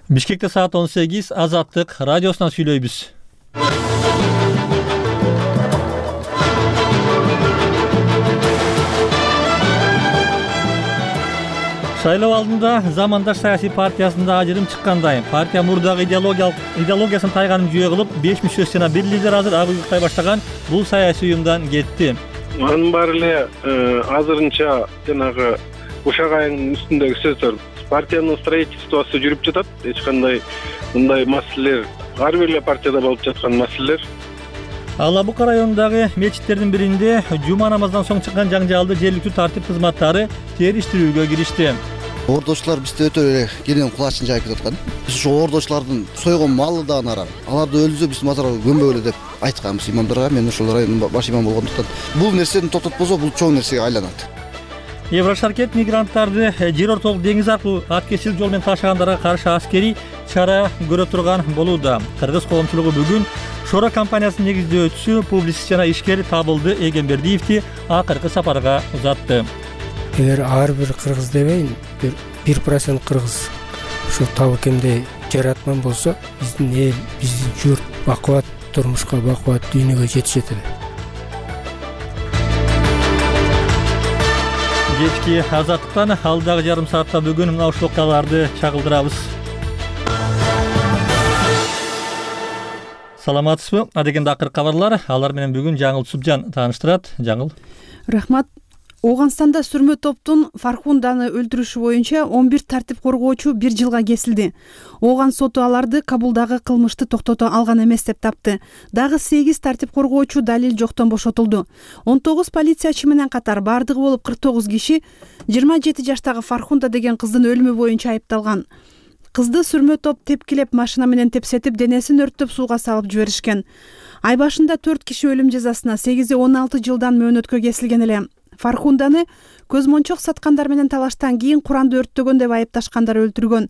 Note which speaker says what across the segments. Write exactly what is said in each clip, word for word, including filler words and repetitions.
Speaker 1: Бишкекте саат он сегиз, Азаттык радиосунан сүйлөйбүз. Шайлоо алдында Замандаш саясий партиясында ажырым чыккандай. Партия мурдагы идеологиялык идеологиясын тайганын жүйө кылып, беш мүчөсү жана бир лидер азыр ак уйгуктай баштаган бул саясий уюмдан кетти.
Speaker 2: Анын баары эле азырынча жанагы ушак айынын үстүндөгү сөздөр. Партиянын строительствосу жүрүп жатат. Эч кандай мындай маселелер ар бир эле партияда болуп жаткан маселелер.
Speaker 1: Ал Абукар районундагы мечиттердин биринде жума намаздан соң чыккан жаңжалды жергиликтүү тартип кызматтары териштирүүгө киришти.
Speaker 3: Ордочулар бизде өтө эле кенен кулачын жайып жаткан. Биз ошо ордочулардын сойгон малы да анаран. Аларды өлүзө биз мазарга көмбөгөлө деп айтканбыз имамдарга. Мен ошол райондун баш имам болгондуктан бул нерсени токтотпосо бул чоң нерсеге айланат.
Speaker 1: Еврошаркет мигранттарды жер ортолук деңиз аркылуу аткечилик жол менен ташыгандарга каршы аскерий чара көрө турган болууда. Кыргыз коомчулугу бүгүн Шора компаниясынын негиздөөчүсү, публицист жана ишкер Табылды Эгембердиевди акыркы сапарга узатты.
Speaker 4: Эгер ар бир кыргыз дебейин, бир бир процент кыргыз ушул табы кемдей жаратман болсо, биздин эл, биздин журт бакубат турмушка, бакубат дүйнөгө жетишет эле.
Speaker 1: Кечки Азаттыктан алдагы жарым саатта бүгүн мына ушул окуяларды чагылдырабыз. Саламатсызбы? Адегенде акыркы кабарлар, алар менен бүгүн Жаңыл Субжан тааныштырат. Жаңыл.
Speaker 5: Рахмат. Ооганстанда сүрмө топтун Фархунданы өлтүрүшү боюнча он бир тартип коргоочу бир жылга кесилди. Ооган соту аларды Кабулдагы кылмышты токтото алган эмес деп тапты. Дагы сегиз тартип коргоочу далил жоктон бошотулду. он тогуз полициячы менен катар бардыгы болуп кырк тогуз киши жыйырма жети жаштагы Фархунда деген кыздын өлүмү боюнча айыпталган. Кызды сүрмө топ тепкилеп машина менен тепсетип, денесин өрттөп сууга салып жиберишкен. Ай башында төрт киши өлүм жазасына, сегизи он алты жылдан мөөнөткө кесилген эле. Фархунданы көз мончок саткандар менен талаштан кийин Куранды өрттөгөн деп айыпташкандар өлтүргөн.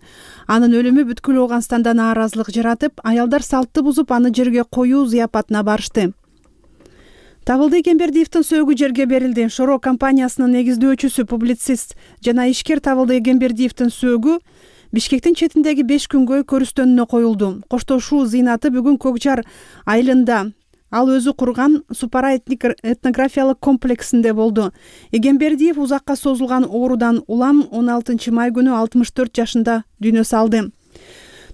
Speaker 5: Анын өлүмү бүткүл Ооганстанда нааразылык жаратып, аялдар салтты бузуп, аны жерге коюу зыяпатына барышты. Табылды Эгембердиевдин сөөгү жерге берилди. Шоро компаниясынын негиздөөчүсү, публицист жана ишкер Табылды Эгембердиевдин сөөгү Бишкектин четиндеги беш күнгөй көрүстөнүнө коюлду. Коштошуу зыйнаты бүгүн Көкжар айылында ал өзү курган Супара этнографиялык комплексинде болду. Эгембердиев узакка созулган оорудан улам он алтынчы май күнү алтымыш төрт жашында дүйнө салды.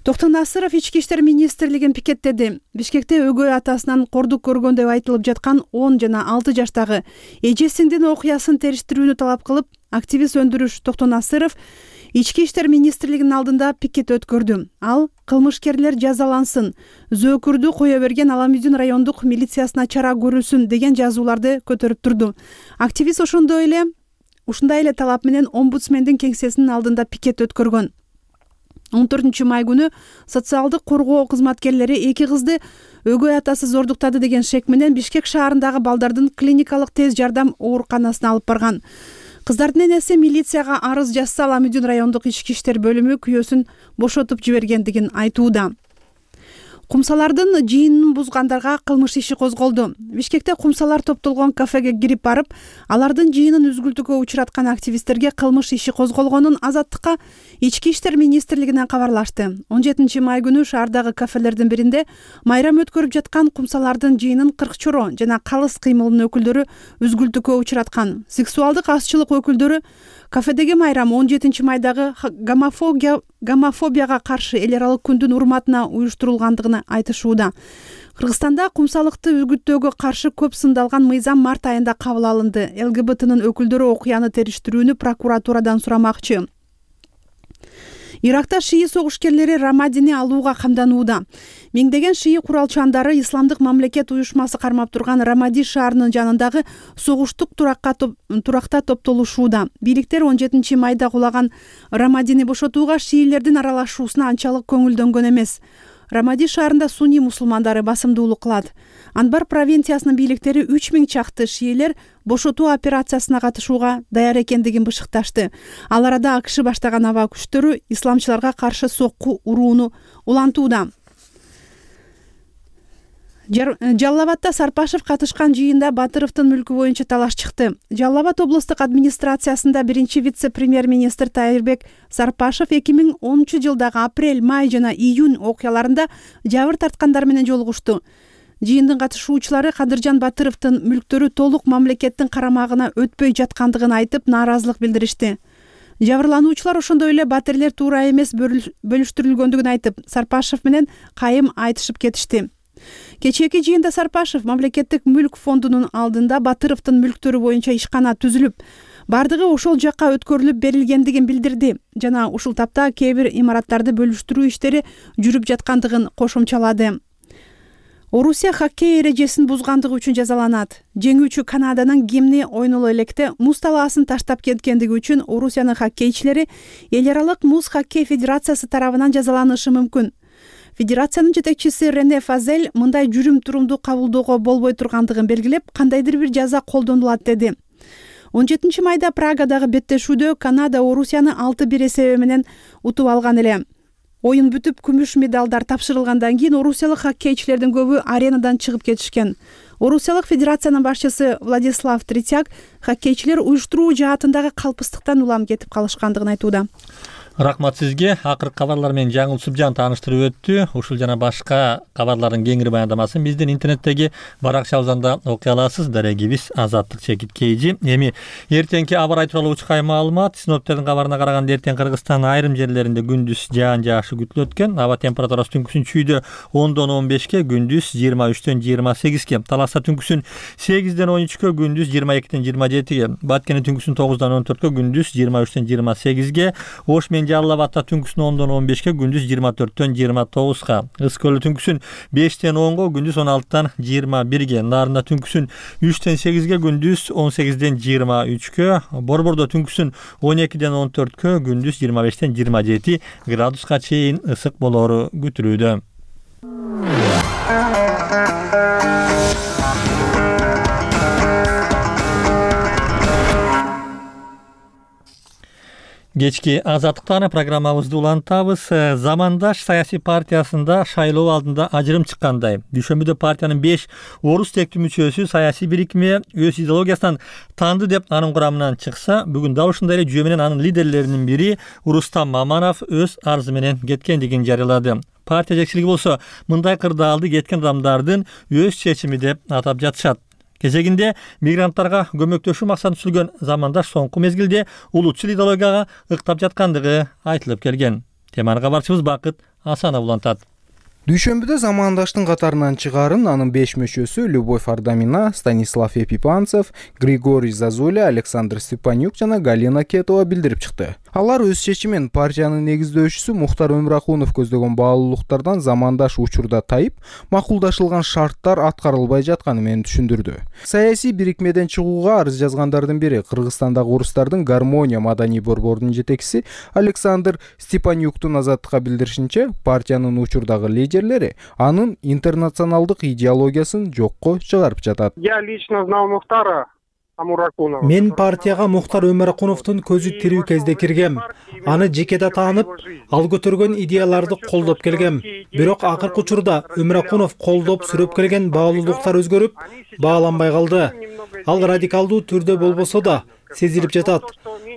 Speaker 5: Токтон Насыров ички иштер министрлигин пикеттеди. Бишкекте өгөй атасынан кордук көргөн деп айтылып жаткан он жана алты жаштагы эжесиңдин окуясын териштирүүнү талап кылып, активист Өндүрүш Токтон Насыров ички иштер министрлигинин алдында пикет өткөрдү. Ал кылмышкерлер жазалансын, зөөкүрдү кое берген Аламүдүн райондук милициясына чара көрүлсүн деген жазууларды көтөрүп турду. Активист ошондой эле ушундай эле талап менен омбудсмендин кеңсесинин алдында пикет өткөргөн. он төртүнчү май күнү социалдык коргоо кызматкерлери эки кызды өгөй атасы зордуктады деген шек менен Бишкек шаарындагы балдардын клиникалык тез жардам ооруканасына алып барган. Кыздардын энеси милицияга арыз жазса, Аламүдүн райондук ички иштер бөлүмү күйөөсүн бошотуп жибергендигин айтууда. Кумсалардын жыйынын бузгандарга кылмыш иши козголду. Бишкекте кумсалар топтолгон кафеге кирип барып, алардын жыйынын үзгүлтүүгө учраткан активисттерге кылмыш иши козголгонун Азаттыкка ички иштер министрлигинен кабарлашты. он жетинчи май күнү шаардагы кафелердин биринде майрам өткөрүп жаткан кумсалардын жыйынын кырк чоро жана калыс кыймылынын өкүлдөрү үзгүлтүүгө учраткан. Сексуалдык азчылык өкүлдөрү кафедеги майрам он жетинчи майдагы гомофобия гомофобияга каршы эл аралык күндүн урматына уюштурулгандыгын айтышууда. Кыргызстанда кумсалыкты үгүттөөгө каршы көп сындалган мыйзам март айында кабыл алынды. эл гэ бэ тынын өкүлдөрү окуяны териштирүүнү прокуратурадан сурамакчы. Иракта шии согушкерлери Рамадини алууга камданууда. Миңдеген шии куралчандары Исламдык мамлекет уюшмасы кармап турган Рамади шаарынын жанындагы согуштук туракка топ, туракта топтолушууда. Бийликтер он жетинчи майда кулаган Рамадини бошотууга шиилердин аралашуусуна анчалык көңүлдөнгөн эмес. Рамади шаарында сунни мусулмандары басымдуулук кылат. Анбар провинциясынын бийликтери үч миң чакты шиилер бошотуу операциясына катышууга даяр экендигин бышыкташты. Ал арада АКШ баштаган аба күчтөрү исламчыларга каршы сокку урууну улантууда. Жалал Абадда Сарпашев катышкан жыйында Батыровдун мүлкү боюнча талаш чыкты. Жалал Абад облустук администрациясында биринчи вице-премьер-министр Тайырбек Сарпашев эки миң онунчу жылдагы апрель, май жана июнь окуяларында жабыр тарткандар менен жолугушту. Жыйындын катышуучулары Кадыржан Батыровдун мүлктөрү толук мамлекеттин карамагына өтпөй жаткандыгын айтып, нааразылык билдиришти. Жабырлануучулар ошондой эле батирлер туура эмес бөлүштүрүлгөндүгүн айтып, Сарпашев менен кайым айтышып кетишти. Кечээки жыйында Сарпашев мамлекеттик мүлк фондунун алдында Батыровдун мүлктөрү боюнча ишкана түзүлүп, бардыгы ошол жакка өткөрүлүп берилгендигин билдирди жана ушул тапта кээ бир имараттарды бөлүштүрүү иштери жүрүп жаткандыгын кошумчалады. Орусия хоккей эрежесин бузгандыгы үчүн жазаланат. Жеңүүчү Канаданын гимни ойноло электе муз талаасын таштап кеткендиги үчүн Орусиянын хоккейчилери Эл аралык муз хоккей федерациясы тарабынан жазаланышы мүмкүн. Федерациянын жетекчиси Рене Фазель мындай жүрүм-турумду кабылдоого болбой тургандыгын белгилеп, кандайдыр бир жаза колдонулат деди. он жетинчи майда Прагадагы беттешүүдө Канада Орусияны алты бир эсеби менен утуп алган эле. Оюн бүтүп, күмүш медалдар тапшырылгандан кийин орусиялык хоккейчилердин көбү аренадан чыгып кетишкен. Орусиялык федерациянын башчысы Владислав Третьяк хоккейчилер уюштуруу жаатындагы калпыстыктан улам кетип калышкандыгын айтууда.
Speaker 1: Рахмат сизге. Акыркы кабарлар менен Жаңыл Субжан тааныштырып өттү. Ушул жана башка кабарлардын кеңири баяндамасын биздин интернеттеги баракчабызда окуй аласыз. Дарегибиз Азаттык Чекит Кейжи. Эми эртеңки аба ырайы тууралуу учкай маалымат. Синоптиктердин кабарына караганда эртең Кыргызстандын айрым жерлеринде күндүз жаан жаашы күтүлөт экен. Аба температурасы түнкүсүн чүйдө ондон он бешке, күндүз жыйырма үчтөн жыйырма сегизге, Таласта түнкүсүн сегизден он үчкө, күндүз жыйырма экиден жыйырма жетиге, Баткенде түнкүсүн тогуздан он төрткө, күндүз жыйырма үчтөн жыйырма сегизге, Ош менен Жалал Абадта түнкүсүн ондон он бешке, күндүз жыйырма төрттөн жыйырма тогузга, Ыс көлү түнкүсүн бештен онго, күндүз он алтыдан жыйырма бирге, Нарында түнкүсүн үчтөн сегизге, күндүз он сегизден жыйырма үчкө, Борбордо түнкүсүн он экиден он төрткө, күндүз жыйырма бештен жыйырма жети градуска чейин ысык болоору күтүлүүдө. Кечки азаттыктагы программабызды улантабыз. Замандаш саясий партиясында шайлоо алдында ажырым чыккандай. Дүйшөмбүдө партиянын беш орус тектүү мүчөсү саясий бирикме өз идеологиясынан таанды деп анын курамынан чыкса, бүгүн дал ушундай эле жүйө менен анын лидерлеринин бири Рустам Маманов өз арызы менен кеткендигин жарыялады. Партия жетекчилиги болсо мындай кырдаалды кеткен адамдардын өз чечими деп атап жатышат. Кезегинде мигранттарга көмөктөшүү максатын түзүлгөн замандаш соңку мезгилде улутчул идеологияга ыктап жаткандыгы айтылып келген. Теманы кабарчыбыз Бакыт Асанов улантат.
Speaker 6: Дүйшөмбүдө замандаштын катарынан чыгарын анын беш мүчөсү Любовь Ардамина, Станислав Епипанцев, Григорий Зазуля, Александр Степанюк жана Галина Кетова билдирип чыкты. Алар өз чечимин партиянын негиздөөчүсү Мухтар Өмүракунов көздөгөн баалуулуктардан замандаш учурда тайып, макулдашылган шарттар аткарылбай жатканы менен түшүндүрдү. Саясий бирикмеден чыгууга арыз жазгандардын бири Кыргызстандагы орустардын Гармония маданий борборунун жетекчиси Александр Степанюктун Азаттыкка билдиришинче, партиянын учурдагы лидерлери анын интернационалдык идеологиясын жокко чыгарып жатат.
Speaker 7: Я лично знал Мухтара Амуракунова.
Speaker 8: Мен партияга Мухтар Өмүракуновдун көзү тирүү кезде киргем. Аны жекеде таанып, ал көтөргөн идеяларды колдоп келгем. Бирок акыркы учурда Өмүракунов колдоп сүрөп келген баалуулуктар өзгөрүп, бааланбай калды. Ал радикалдуу түрдө болбосо да сезилип жатат.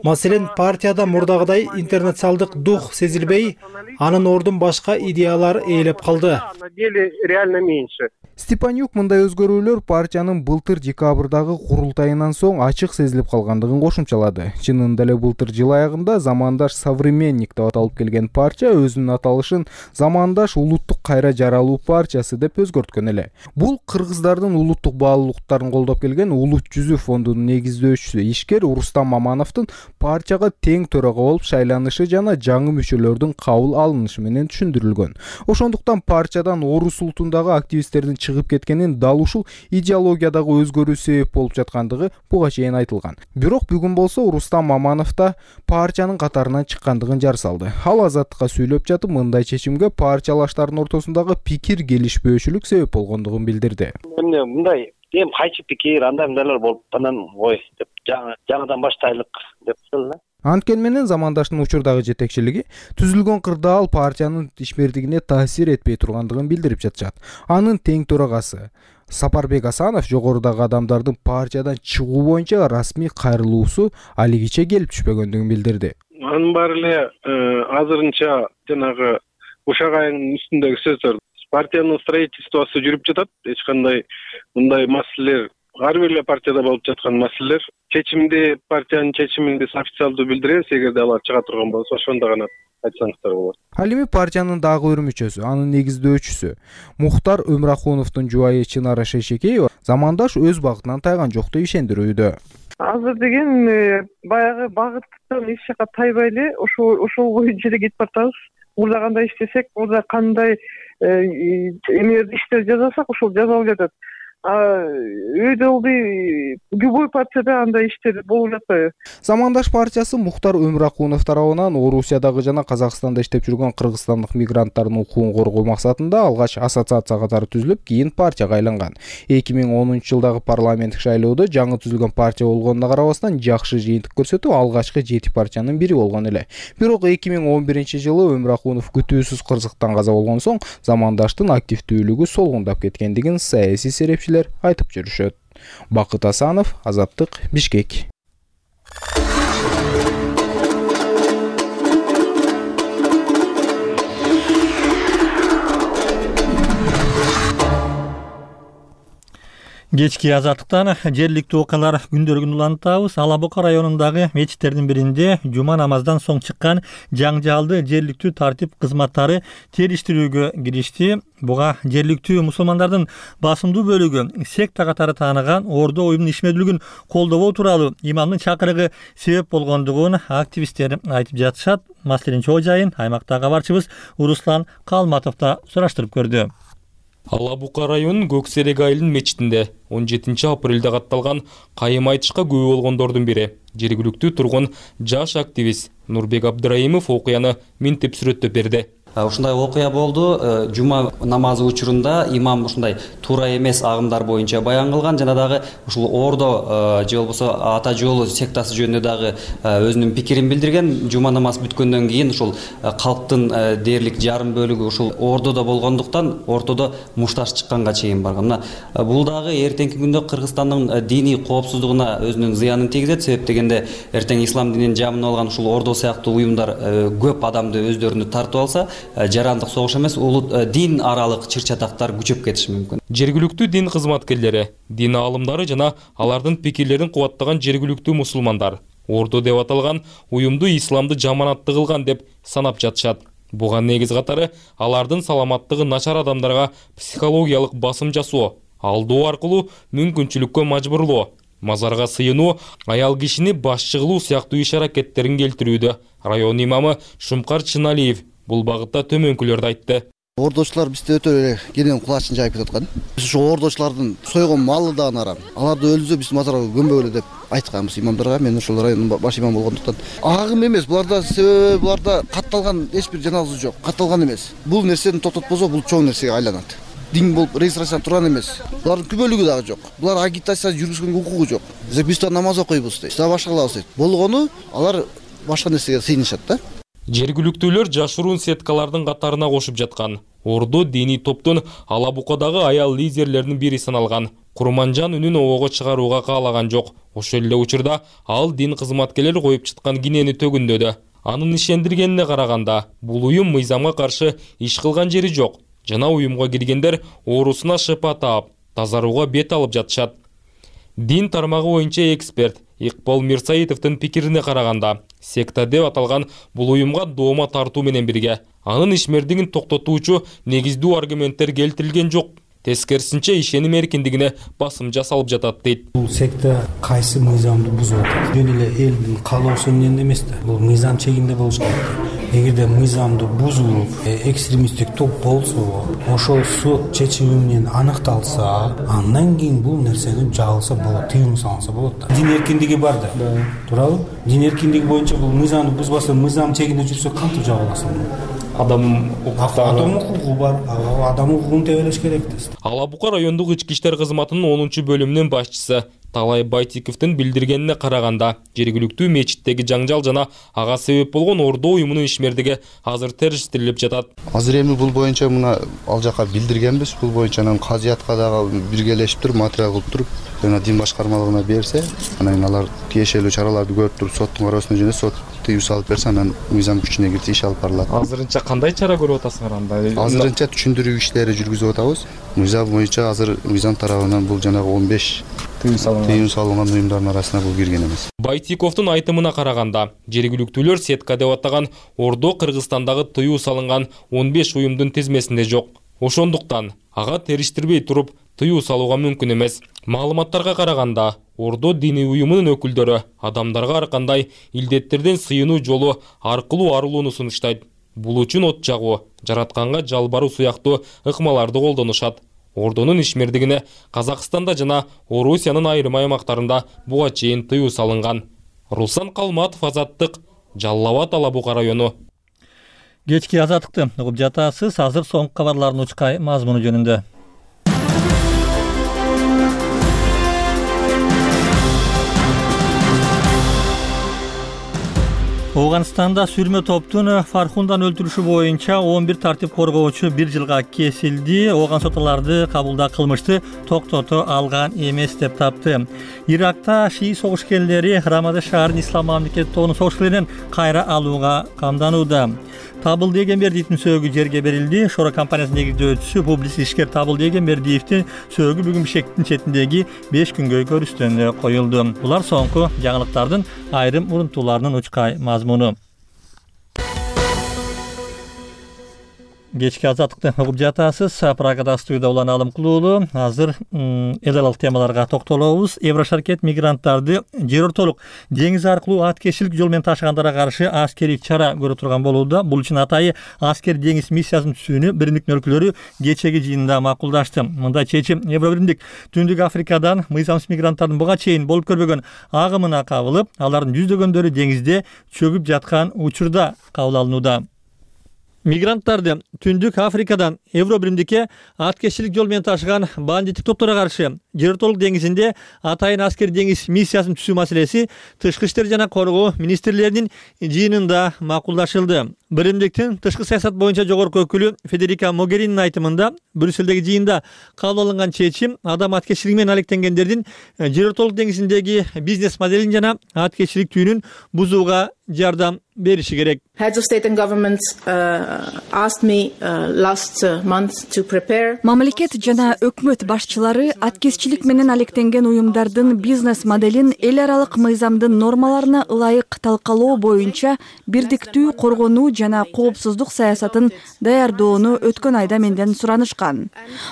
Speaker 8: Маселен, партияда мурдагыдай интернационалдык дух сезилбей, анын ордун башка идеялар ээлеп калды.
Speaker 7: На деле реально меньше.
Speaker 6: Степанюк мындай өзгөрүүлөр партиянын былтыр декабрдагы курултайынан соң ачык сезилип калгандыгын кошумчалады. Чынында эле былтыр жыл аягында Замандаш Современник деп аталып келген партия өзүнүн аталышын Замандаш улуттук кайра жаралуу партиясы деп өзгөрткөн эле. Бул кыргыздардын улуттук баалуулуктарын колдоп келген Улут жүзү фондунун негиздөөчүсү ишкер Рустам Мамановдун партияга тең төрага болуп шайланышы жана жаңы мүчөлөрдүн кабыл алынышы менен түшүндүрүлгөн. Ошондуктан партиядан орус улутундагы активисттердин чыгып кеткенин дал ушул идеологиядагы өзгөрүү себеп болуп жаткандыгы буга чейин айтылган. Бирок бүгүн болсо Рустам Маманов да партиянын катарынан чыккандыгын жар салды. Ал Азаттыкка сүйлөп жатып, мындай чечимге партиялаштардын ортосундагы пикир келишпөөчүлүк себеп болгондугун билдирди.
Speaker 9: Эмне мындай эми кайчы пикир андай мындайлар болуп анан ой деп жаңы жаңыдан баштайлык деп эле.
Speaker 6: Анткени менен замандаштын учурдагы жетекчилиги түзүлгөн кырдаал партиянын ишмердигине таасир этпей тургандыгын билдирип жатышат. Анын тең төрагасы Сапарбек Асанов жогорудагы адамдардын партиядан чыгуу боюнча расмий кайрылуусу алигиче келип түшпөгөндүгүн билдирди.
Speaker 2: Анын баары эле азырынча жанагы ушак айынын үстүндөгү сөздөр. Партиянын строительствосу жүрүп жатат. Эч кандай мындай маселелер ар бир эле партияда болуп жаткан маселелер. Чечимди, партиянын чечиминди официалдуу билдиребиз. Эгерде алар чыга турган болсо, ошондо гана айтсаңыздар болот.
Speaker 6: Ал эми партиянын дагы бир мүчөсү, анын негиздөөчүсү Мухтар Өмракуновдун жубайы Чынара Шейшекеева замандаш өз багытынан тайган жок деп ишендирүүдө.
Speaker 9: Азыр деген баягы багыттан эч жака тайбай эле ошол ошол боюнча эле кетип баратабыз. Мурда кандай иштесек, мурда кандай эмелерди иштер жасасак, ошол жасалып жатат. Өйдө ылдый любой партияда андай иштер болуп жатпайбы?
Speaker 6: Замандаш партиясы Мухтар Өмракунов тарабынан Орусиядагы жана Казакстанда иштеп жүргөн кыргызстандык мигранттардын укугун коргоо максатында алгач ассоциация катары түзүлүп, кийин партияга айланган. эки миң онунчу жылдагы парламенттик шайлоодо жаңы түзүлгөн партия болгонуна карабастан жакшы жыйынтык көрсөтүп, алгачкы жети партиянын бири болгон эле. Бирок эки миң он биринчи жылы Өмракунов күтүүсүз кырсыктан каза болгон соң замандаштын активдүүлүгү солгундап кеткендигин саясий серепчилер айтып жүрүшөт. Бакыт Асанов, Азаттык, Бишкек.
Speaker 1: Кечки Азаттыктан жергиликтүү окуялар күндөрүн улантабыз. Ала Бука районундагы мечиттердин биринде жума намаздан соң чыккан жаңжалды жергиликтүү тартип кызматтары териштирүүгө киришти. Буга жергиликтүү мусулмандардын басымдуу бөлүгү секта катары тааныган Ордо уюмунун ишмердүүлүгүн колдобоо тууралуу имамдын чакырыгы себеп болгондугун активисттер айтып жатышат. Маселенин чоо жайын аймактагы кабарчыбыз Руслан Калматов да сураштырып көрдү.
Speaker 10: Ала Бука районунун Көксерек айылынын мечитинде он жетинчи апрелде катталган кайым айтышка күбө болгондордун бири жергиликтүү тургун жаш активист Нурбек Абдыраимов окуяны минтип сүрөттөп берди.
Speaker 11: Ушундай окуя болду. Жума намазы учурунда имам ушундай туура эмес агымдар боюнча баян кылган, жана дагы ушул Ордо же болбосо Ата жолу сектасы жөнүндө дагы өзүнүн пикирин билдирген. Жума намаз бүткөндөн кийин ушул калктын дээрлик жарым бөлүгү ушул Ордодо болгондуктан ортодо мушташ чыкканга чейин барган. Мына бул дагы эртеңки күндө Кыргызстандын диний коопсуздугуна өзүнүн зыянын тийгизет. Себеп дегенде эртең ислам динин жамын алган ушул Ордо сыяктуу уюмдар көп адамды өздөрүнө тартып алса, жарандык согуш эмес, улут дин аралык чыр-чатактар күчөп кетиши мүмкүн.
Speaker 10: Жергиликтүү дин кызматкерлери, дин аалымдары жана алардын пикирлерин кубаттаган жергиликтүү мусулмандар Ордо деп аталган уюмду исламды жаманатты кылган деп санап жатышат. Буга негиз катары алардын саламаттыгы начар адамдарга психологиялык басым жасоо, алдоо аркылуу мүмкүнчүлүккө мажбурлоо, мазарга сыйынуу, аял кишини башчы кылуу сыяктуу иш-аракеттерин келтирүүдө район имамы Шумкар Чыналиев бул багытта төмөнкүлөрдү айтты.
Speaker 3: Ордочулар бизде өтө эле кенен кулачын жайып жаткан. Биз ошо ордочулардын сойгон малы да нарам. Аларды өлүзө биз мазарга көмбөгөлө деп айтканбыз имамдарга. Мен ошол райондун баш имам болгондуктан. Агым эмес, буларда себеби буларда катталган эч бир жаназа жок. Катталган эмес. Бул нерсени токтотпосо бул чоң нерсеге айланат. Дин болуп регистрация турган эмес. Булардын күбөлүгү дагы жок. Булар агитация жүргүзгөнгө укугу жок. Биз да намаз окуйбуз дейт. Биз башка кылабыз дейт. Болгону алар башка нерсеге сыйынышат да.
Speaker 10: Жергиликтүүлөр жашыруун сеткалардын катарына кошуп жаткан. Ордо диний топтун Ала Букадагы аял лидерлеринин бири саналган. Курманжан үнүн обого чыгарууга каалаган жок. Ошол эле учурда ал дин кызматкерлери коюп чыккан кинени төгүндөдү. Анын ишендиргенине караганда, бул уюм мыйзамга каршы иш кылган жери жок. Жана уюмга киргендер оорусуна шыпа таап, тазарууга бет алып жатышат. Дин тармагы боюнча эксперт Икбол Мирсаитовдун пикирине караганда, секта деп аталган бул уюмга доoma тартуу менен бирге анын ишмердигин токтотуучу негиздүү аргументтер келтирилген жок. Тескерисинче ишеним эркиндигине басым жасалып жатат дейт.
Speaker 12: Бул секта кайсы мыйзамды бузуп атат? Жөн эле элдин каалоосу менен эмес да. Бул мыйзам чегинде болуш керек. Эгерде мыйзамды бузуп, экстремисттик топ болсо, ошол сот чечими менен аныкталса, андан кийин бул нерсени жабылса болот, тыюм салынса болот да. Дин эркиндиги бар да. Туурабы? Дин эркиндиги боюнча бул мыйзамды бузбаса, мыйзам чегинде жүрсө кантип жабыласың?
Speaker 10: Адам
Speaker 12: адам укугу бар, адам укугун тебелеш керек да.
Speaker 10: Ала Бука райондук ички иштер кызматынын онунчу бөлүмүнүн башчысы Талай Байтиковдун билдиргенине караганда, жергиликтүү мечиттеги жаңжал жана ага себеп болгон Ордо уюмунун ишмердиги азыр териштирилип жатат.
Speaker 3: Азыр эми бул боюнча мына ал жака билдиргенбиз. Бул боюнча анан казыятка дагы биргелешип туруп, материал кылып туруп, жана дин башкармалыгына берсе, анан алар тиешелүү чараларды көрүп туруп, соттун кароосуна жөнөтүп, сот тыюу салып берсе, анан мыйзам күчүнө кирсе иш алып барылат.
Speaker 13: Азырынча кандай чара көрүп атасыңар анда?
Speaker 3: Азырынча түшүндүрүү иштери жүргүзүп атабыз. Мыйзам боюнча азыр мыйзам тарабынан бул жанагы он беш тыюу салынган уюмдардын арасына бул кирген эмес.
Speaker 10: Байтиковдун айтымына караганда, жергиликтүүлөр сетка деп атаган Ордо Кыргызстандагы тыюу салынган он беш уюмдун тизмесинде жок. Ошондуктан ага териштирбей туруп тыюу салууга мүмкүн эмес. Маалыматтарга караганда, Ордо диний уюмунун өкүлдөрү адамдарга ар кандай илдеттерден сыйынуу жолу аркылуу арылууну сунуштайт. Бул үчүн от жагуу, жаратканга жалбаруу сыяктуу ыкмаларды колдонушат. Ордонун ишмердигине Казакстанда жана Орусиянын айрым аймактарында буга чейин тыюу салынган. Руслан Калматов, Азаттык, Жалал Абад, Ала Бука району.
Speaker 1: Кечки Азаттыкты угуп жатасыз. Азыр соңку кабарлардын учкай мазмуну жөнүндө. Оганстанда сүрмө топтун Фархундан өлтүрүшү боюнча он бир тартип коргоочу бир жылга кесилди. Оган соталарды кабылда кылмышты токтото алган эмес деп тапты. Иракта шии согушкерлери Рамада шаарын ислам мамлекети тобунун согушкерлеринен кайра алууга камданууда. Табылды Эгембердиевдин сөөгү жерге берилди. Шора компаниясынын негиздөөчүсү публицист ишкер Табылды Эгембердиевдин сөөгү бүгүн Бишкектин четиндеги беш күнгө көрүстөнүнө коюлду. Булар соңку жаңылыктардын айрым урунтууларынын учкай мазмуну. Кечки Азаттыкты угуп жатасыз. Прагада студияда улан Алымкулуулу. Азыр эл аралык темаларга токтолобуз. Еврошаркет мигранттарды жер ортолук деңиз аркылуу аткечилик жол менен ташыгандарга каршы аскерий чара көрө турган болууда. Бул үчүн атайы аскер деңиз миссиясынын түзүүнү биримдиктин өлкөлөрү кечеги жыйында макулдашты. Мындай чечим Евробиримдик Түндүк Африкадан мыйзамсыз мигранттардын буга чейин болуп көрбөгөн агымына кабылып, алардын жүздөгөндөрү деңизде чөгүп жаткан учурда кабыл алынууда. Мигранттарды Түндүк Африкадан Евробиримдикке аткечилик жол менен ташыган бандиттик топторго каршы жер ортолук деңизинде атайын аскер деңиз миссиясын түзүү маселеси тышкы иштер жана коргоо министрлеринин жыйынында макулдашылды. Биримдиктин тышкы саясат боюнча жогорку өкүлү Федерика Могеринин айтымында, Брюссельдеги жыйында кабыл алынган чечим адам аткечилиги менен алектенгендердин жер ортолук деңизиндеги бизнес моделин жана аткечилик түйүнүн бузууга жардам бериши керек.
Speaker 14: Heads of state and government uh, asked me uh, last uh, month to prepare.
Speaker 15: Мамлекет жана өкмөт башчылары аткеччилик менен алектенген уюмдардын бизнес моделин эл аралык мыйзамдын нормаларына ылайык талкалоо боюнча бирдиктүү коргонуу жана коопсуздук саясатын даярдоону өткөн айда менден суранышкан.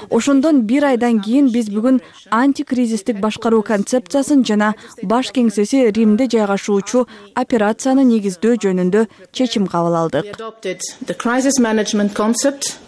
Speaker 15: Ошондон бир айдан кийин биз бүгүн антикризистик башкаруу концепциясын жана баш кеңсеси Римде жайгашуучу операцияны негиздөө жөнүндө чечим кабыл алдык.
Speaker 14: The crisis management concept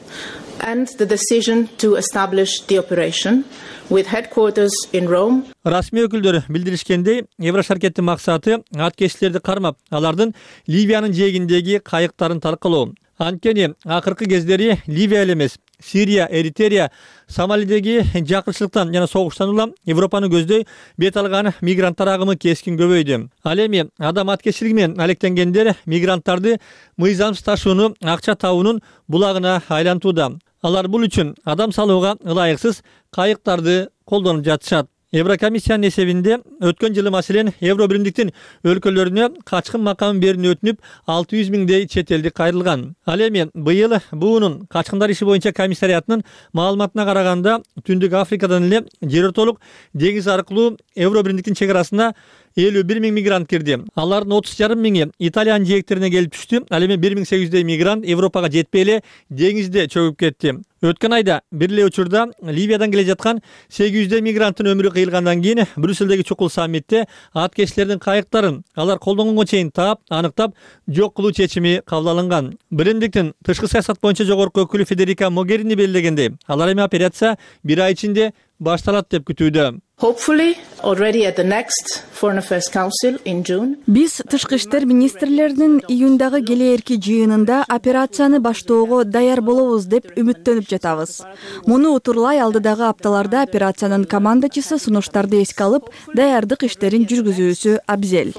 Speaker 14: and the decision to establish the operation with headquarters in Rome.
Speaker 1: Расмий өкүлдөр билдиришкендей, Еврошаркеттин максаты аткечилерди кармап, алардын Ливиянын жээгиндеги кайыктарын таркалоо. Анткени акыркы кездери Ливия эле эмес, Сирия, Эритрея, Сомалидеги жакырчылыктан жана согуштан улам Европаны көздөй бет алган мигранттар агымы кескин көбөйдү. Ал эми адам аткечилиги менен алектенгендер мигранттарды мыйзамсыз ташууну акча табуунун булагына айлантууда. Алар бул үчүн адам салууга ылайыксыз кайыктарды колдонуп жатышат. Еврокомиссиянын эсебинде өткөн жылы маселен Евробиримдиктин өлкөлөрүнө качкын макамын берүүнү өтүнүп алты жүз миңдей чет элдик кайрылган. Ал эми быйыл буунун качкындар иши боюнча комиссариятынын маалыматына караганда Түндүк Африкадан эле жер ортолук деңиз аркылуу Евробиримдиктин чек арасына элүү бир миң мигрант кирди. Алардын отуз жарым миңи Италиянын жээктерине келип түштү. Ал эми бир миң сегиз жүздөй мигрант Европага жетпей эле деңизде чөгүп кетти. Өткөн айда бир эле учурда Ливиядан келе жаткан сегиз жүздөй мигранттын өмүрү кыйылгандан кийин Брюссельдеги чукул саммитте аткечилердин кайыктарын алар колдонгонго чейин таап, аныктап жок кылуу чечими кабыл алынган. Биримдиктин тышкы саясат боюнча жогорку өкүлү Федерика Могерини белгилегендей, алар эми операция бир ай ичинде башталат деп күтүүдө.
Speaker 14: Hopefully, already at the next Foreign Affairs Council in June.
Speaker 15: Биз тышкы иштер министрлеринин июндагы келээрки жыйынында операцияны баштоого даяр болобуз деп үмүттөнүп жатабыз. Муну утурлай алдыдагы апталарда операциянын командачысы сунуштарды эске алып, даярдык иштерин жүргүзүүсү абзел.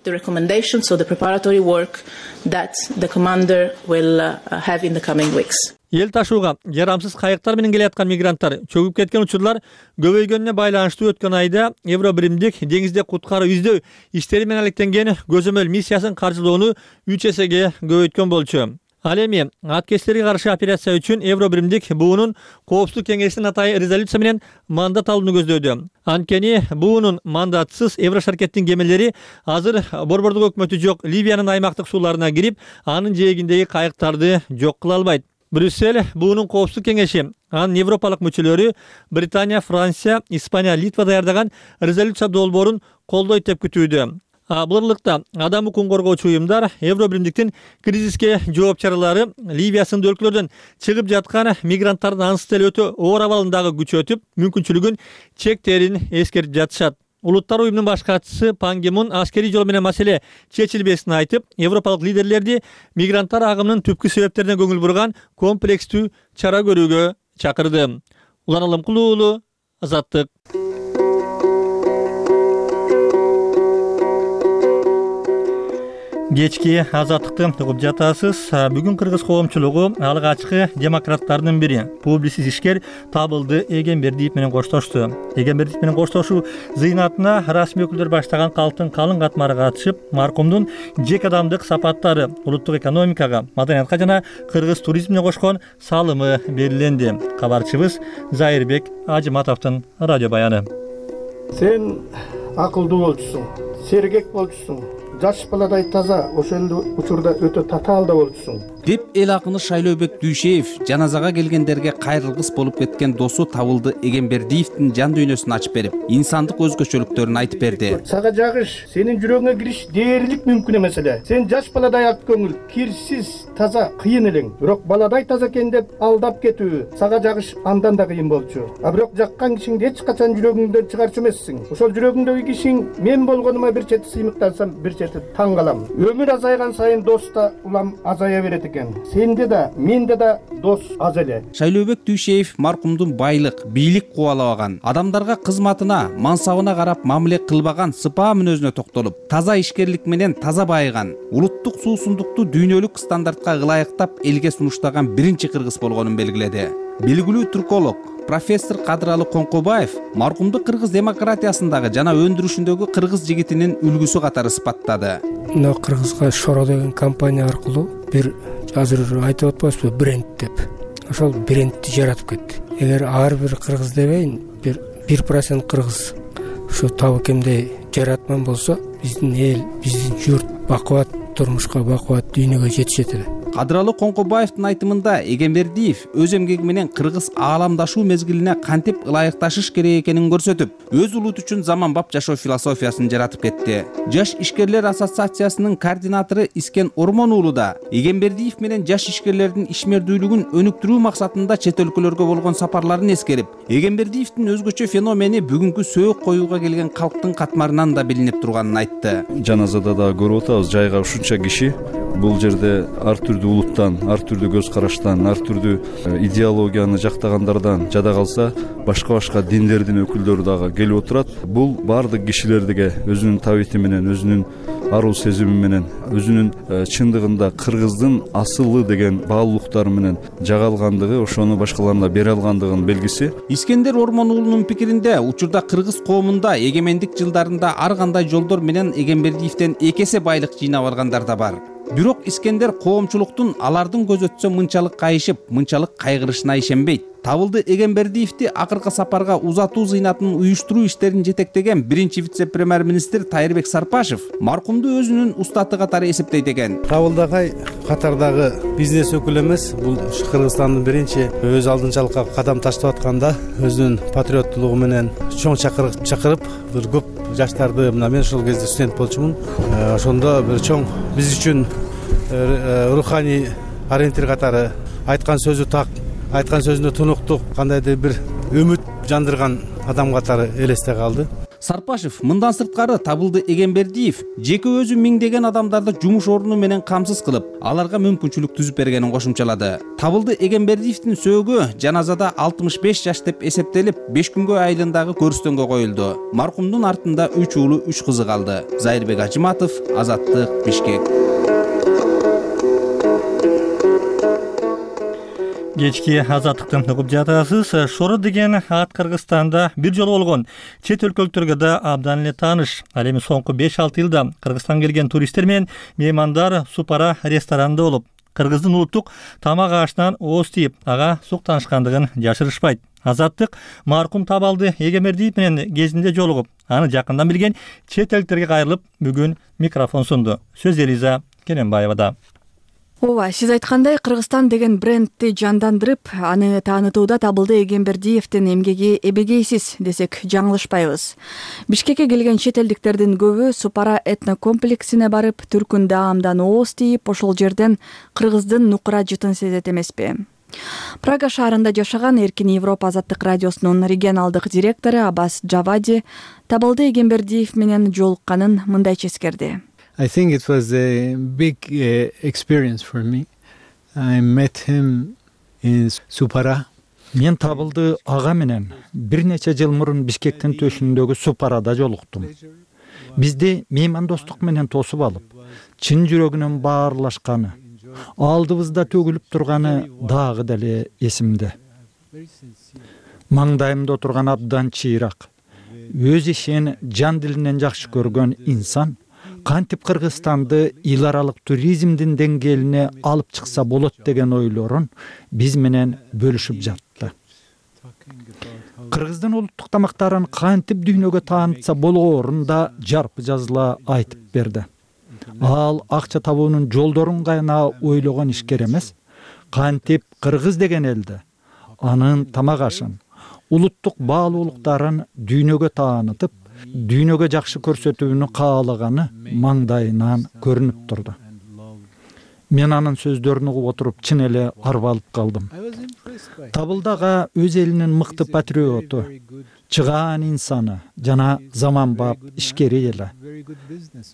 Speaker 14: The recommendations, so the preparatory work that the commander will uh, have in the coming weeks.
Speaker 1: Эл ташууга жарамсыз кайыктар менен келаткан мигранттар чөгүп кеткен учурлар көбөйгөнүнө байланыштуу өткөн айда Евробиримдик деңизде куткаруу издөө иштери менен алектенген көзөмөл миссиясын каржылоону үч эсеге көбөйткөн болчу. Ал эми аткечтерге каршы операция үчүн Евробиримдик буунун коопсуздук кеңешинин атайын резолюция менен мандат алууну көздөдү. Анткени буунун мандатсыз Еврошаркеттин кемелери азыр борбордук өкмөтү жок Ливиянын аймактык сууларына кирип, анын жээгиндеги кайыктарды жок кыла албайт. Брюссель буунун коопсуздук кеңеши анын европалык мүчөлөрү Британия, Франция, Испания, Литва даярдаган резолюция долбоорун колдойт деп күтүүдө. Буларлыкта адам укугун коргоочу уюмдар Евробиримдиктин кризиске жооп чаралары Ливия сынды өлкөлөрдөн чыгып жаткан мигранттардын ансыз эле өтө оор абалындагы күчөтүп, мүмкүнчүлүгүн чектерин эскертип жатышат. Улуттар уюмунун баш катчысы Пан Ги Мун аскерий жол менен маселе чечилбесин айтып, европалык лидерлерди мигранттар агымынын түпкү себептерине көңүл бурган комплекстүү чара көрүүгө чакырды. Улан Алымкулуу уулу, Азаттык. Кечки Азаттыкты угуп жатасыз. Бүгүн кыргыз коомчулугу алгачкы демократтардын бири, публицист ишкер Табылды Эгембердиев менен коштошту. Эгембердиев менен коштошуу зыйнатына расмий өкүлдөр баштаган калктын калың катмары катышып, маркумдун жеке адамдык сапаттары, улуттук экономикага, маданиятка жана кыргыз туризмине кошкон салымы белгиленди. Кабарчыбыз Зайырбек Ажыматовдун радио баяны.
Speaker 16: Сен акылдуу болчусуң, сергек болчусуң. Жаш баладай таза, ошондо учурда өтө татаалда болчусуң
Speaker 17: деп эл акыны Шайлообек Дүйшеев жаназага келгендерге кайрылгыс болуп кеткен досу Табылды Эгембердиевдин жан дүйнөсүн ачып берип, инсандык өзгөчөлүктөрүн айтып берди.
Speaker 16: Сага жагыш, сенин жүрөгүңө кириш дээрлик мүмкүн эмес эле. Сен жаш баладай ак көңүл, кирсиз, таза, кыйын элең. Бирок баладай таза экен деп алдап кетүү сага жагыш андан да кыйын болчу. А бирок жаккан кишиңди эч качан жүрөгүңдөн чыгарчу эмессиң. Ошол жүрөгүңдөгү кишиң мен болгонума бир чети сыймыктансам, бир чети таң калам. Өмүр азайган сайын дос да улам азая берет экен. Сенде да, менде да дос аз эле.
Speaker 17: Шайлообек Дүйшеев маркумдун байлык, бийлик кубалабаган, адамдарга кызматына, мансабына карап мамиле кылбаган сыпаа мүнөзүнө токтолуп, таза ишкерлик менен таза байыган, улуттук суусундукту дүйнөлүк стандартка ылайыктап элге сунуштаган биринчи кыргыз болгонун белгиледи. Белгилүү түрколог профессор Кадыралы Коңкобаев маркумду кыргыз демократиясындагы жана өндүрүшүндөгү кыргыз жигитинин үлгүсү катары сыпаттады.
Speaker 4: Мына кыргызга Шоро деген компания аркылуу бир азыр айтып атпайбызбы бренд деп. Ошол брендти жаратып кетти. Эгер ар бир кыргыз дебейин, бир бир процент кыргыз ушу табыкемдей жаратман болсо, биздин эл, биздин журт бакубат турмушка, бакубат дүйнөгө жетишет эле.
Speaker 17: Кадыралы Коңкобаевдин айтымында Эгембердиев өз эмгеги менен кыргыз ааламдашуу мезгилине кантип ылайыкташыш керек экенин көрсөтүп, өз улут үчүн заманбап жашоо философиясын жаратып кетти. Жаш ишкерлер ассоциациясынын координатору Искен Ормон уулу да Эгембердиев менен жаш ишкерлердин ишмердүүлүгүн өнүктүрүү максатында чет өлкөлөргө болгон сапарларын эскерип, Эгембердиевдин өзгөчө феномени бүгүнкү сөөк коюуга келген калктын катмарынан да билинип турганын айтты.
Speaker 18: Жаназада да көрүп атабыз, жайга ушунча киши бул жерде ар түрдүү улуттан, ар түрдүү көз караштан, ар түрдүү идеологияны жактагандардан жада калса, башка-башка диндердин өкүлдөрү дагы келип отурат. Бул баардык кишилерге өзүнүн табити менен, өзүнүн аруу сезими менен, өзүнүн чындыгында кыргыздын асылы деген баалуулуктары менен жагалгандыгы, ошону башкаларына бере алгандыгынын белгиси.
Speaker 17: Искендер Ормон уулунун пикиринде, учурда кыргыз коомунда эгемендик жылдарында ар кандай жолдор менен Эгембердиевден эки эсе байлык жыйнап алгандар да бар. Бирок Искендер коомчулуктун алардын көз өтсө мынчалык кайышып, мынчалык кайгырышына ишенбейт. Табылды Эгембердиевди акыркы сапарга узатуу зыйнатын уюштуруу иштерин жетектеген биринчи вице-премьер-министр Тайырбек Сарпашев маркумду өзүнүн устаты катары эсептейт экен.
Speaker 12: Табылды агай катардагы бизнес өкүлү эмес, бул Кыргызстандын биринчи өз алдынчалыкка кадам таштап атканда өзүнүн патриоттулугу менен чоң чакырып чакырып, бир көп жаштарды, мына мен ошол кезде студент болчумун. Ошондо бир чоң биз үчүн руханий ориентир катары айткан сөзү так, айткан сөзүндө тунуктук, кандайдыр бир үмүт жандырган адам катары элесте калды.
Speaker 17: Сарпашев мындан сырткары Табылды Эгембердиев жеке өзү миңдеген адамдарды жумуш орну менен камсыз кылып, аларга мүмкүнчүлүк түзүп бергенин кошумчалады. Табылды Эгембердиевдин сөөгү жаназада алтымыш беш жаш деп эсептелип, беш күнгө айылындагы көрүстөнгө коюлду. Маркумдун артында үч уулу, үч кызы калды. Зайырбек Ажыматов, Азаттык, Бишкек.
Speaker 1: Кечки азаттыктан угуп жатасыз. Шоро деген ат Кыргызстанда бир жолу болгон. Чет өлкөлүктөргө да абдан эле тааныш. Ал эми соңку беш алты жылда Кыргызстанга келген туристтер менен меймандар Супара ресторанында болуп, кыргыздын улуттук тамак ашынан ооз тийип, ага сук таанышкандыгын жашырышпайт. Азаттык маркум Табылды Эгембердиев менен кезинде жолугуп, аны жакындан билген чет элдиктерге кайрылып, бүгүн микрофон сунду. Сөз Элиза Кененбаевада.
Speaker 15: Ооба, сиз айткандай Кыргызстан деген брендти жандандырып, аны таанытууда Табылды Эгембердиевдин эмгеги эбегейсиз десек жаңылышпайбыз. Бишкекке келген чет элдиктердин көбү Супара этнокомплексине барып, түркүн даамдан ооз тийип, ошол жерден кыргыздын нукура жытын сезет эмеспи? Прага шаарында жашаган Эркин Европа азаттык радиосунун регионалдык директору Аббас Джавади Табылды Эгембердиев менен жолукканын мындайча эскерди.
Speaker 19: I think it was a big uh, experience for me. I met him in Supara.
Speaker 20: Мен Табылды ага менен бир нече жыл мурун Бишкектин төшүндөгү Супарада жолуктум. Бизди меймандостук менен тосуп алып, чын жүрөгүнөн баарлашканы, алдыбызда төгүлүп турганы дагы деле эсимде. Маңдайымда отурган абдан чыйрак, өз ишин жан дилинен жакшы көргөн инсан кантип Кыргызстанды эл аралык туризмдин деңгээлине алып чыкса болот деген ойлорун биз менен бөлүшүп жатты. Кыргыздын улуттук тамактарын кантип дүйнөгө таанытса болгоорун да жарпы жазыла айтып берди. Ал акча табуунун жолдорун гана ойлогон ишкер эмес, кантип кыргыз деген элди, анын тамак ашын, улуттук баалуулуктарын дүйнөгө таанытып, дүйнөгө жакшы көрсөтүүнү каалаганы маңдайынан көрүнүп турду. Мен анын сөздөрүн угуп отуруп чын эле арбалып калдым. Табылдага өз элинин мыкты патриоту, чыгаан инсаны жана заманбап ишкери эле.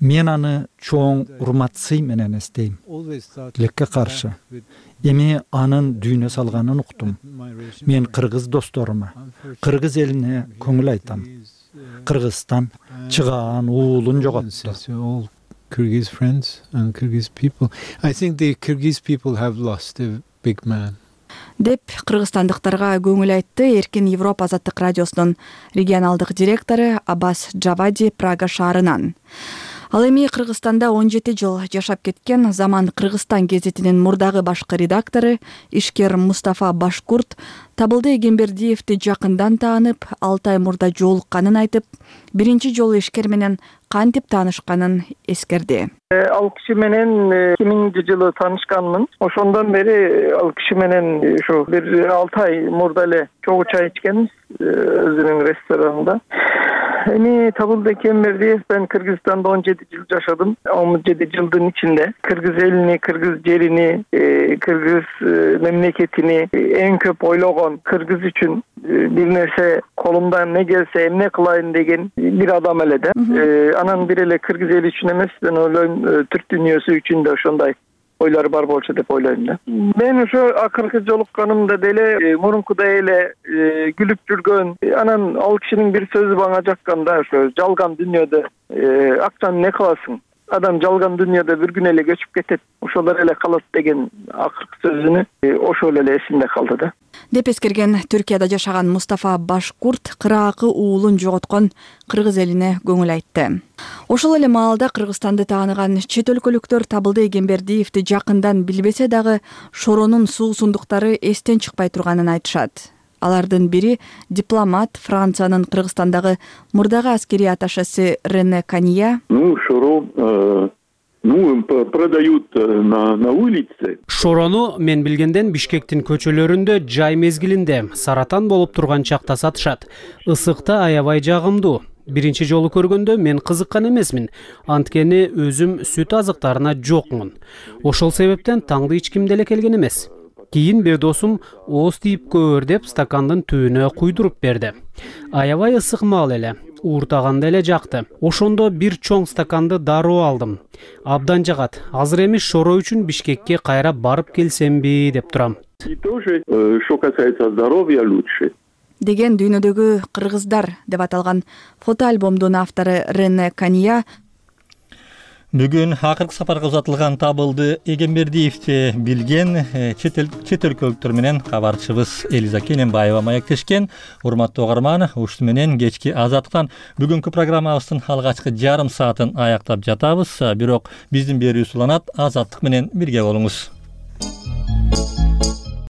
Speaker 20: Мен аны чоң урмат сый менен эстейм. Тилекке каршы эми анын дүйнө салганын уктум. Мен кыргыз досторума, кыргыз элине көңүл айтам. Кыргызстан чыгаан уулун жоготту.
Speaker 19: Kyrgyz friends and Kyrgyz people. I think the Kyrgyz people have lost a big man.
Speaker 15: Деп кыргызстандыктарга көңүл айтты Эркин Европа азаттык радиосунун регионалдык директору Аббас Джавади Прага шаарынан. Ал эми Кыргызстанда он жети жыл жашап кеткен Заман Кыргызстан гезитинин мурдагы башкы редактору, ишкер Мустафа Башкурт Табылды Эгембердиевди жакындан таанып, алты ай мурда жолукканын айтып, биринчи жолу ишкер менен кантип таанышканын эскерди.
Speaker 9: Ал киши менен эки миңинчи жылы таанышканмын. Ошондон бери ал киши менен ушу бир алты ай мурда эле чогуу чай ичкенбиз өзүнүн ресторанында. Эми Табылды Эгембердиев мен Кыргызстанда он жети жыл жашадым. он жети жылдын ичинде кыргыз элини, кыргыз жерини, кыргыз мемлекетини эң көп ойлогон, кыргыз үчүн бир нерсе колумдан не келсе эмне кылайын деген бир адам эле да. Анан бир эле кыргыз эли үчүн эмес, мен ойлойм түрк дүйнөсү үчүн да ошондой ойлор бар болчу деп ойлойм да. Мен ошо акыркы жолукканымда деле мурункудай эле күлүп жүргөн, анан ал кишинин бир сөзү мага жакканда, ошо жалган дүйнөдө акчаны не кыласың? Адам жалган дүйнөдө бир күн эле көчүп кетет, ошолор эле калат деген акыркы сөзүнү ошол эле эсимде калды да.
Speaker 15: Деп эскерген Түркияда жашаган Мустафа Башкурт кыраакы уулун жоготкон кыргыз элине көңүл айтты. Ошол эле маалда Кыргызстанды тааныган чет өлкөлүктөр Табылды Эгембердиевди жакындан билбесе дагы Шоронун суусундуктары эстен чыкпай турганын айтышат. Алардын бири дипломат, Франциянын Кыргызстандагы мурдагы аскерий атташеси Рене Канья.
Speaker 21: Ну, Шоро Ну, продают на, на улице.
Speaker 22: Шорону мен билгенден Бишкектин көчөлөрүндө жай мезгилинде саратан болуп турган чакта сатышат. Ысыкта аябай жагымдуу. Биринчи жолу көргөндө мен кызыккан эмесмин. Анткени өзүм сүт азыктарына жокмун. Ошол себептен таңды эч ким деле келген эмес. Кийин бир досум ооз тийип көөр деп стакандын түбүнө куйдуруп берди. Аябай ысык маал эле, ууртаганда эле жакты. Ошондо бир чоң стаканды дароо алдым. Абдан жагат. Азыр эми шоро үчүн Бишкекке кайра барып келсемби деп турам.
Speaker 21: И тоже, что касается здоровья, лучше.
Speaker 15: Деген дүйнөдөгү кыргыздар деп аталган фотоальбомдун автору Рене Кания
Speaker 1: бүгүн акыркы сапарга узатылган Табылды Эгембердиевди билген чет өлкөлүктөр менен кабарчыбыз Элиза Кененбаева маектешкен. Урматтуу угарман, ушуну менен кечки Азаттыктан бүгүнкү программабыздын алгачкы жарым саатын аяктап жатабыз. Бирок биздин берүүбүз уланат. Азаттык менен бирге болуңуз.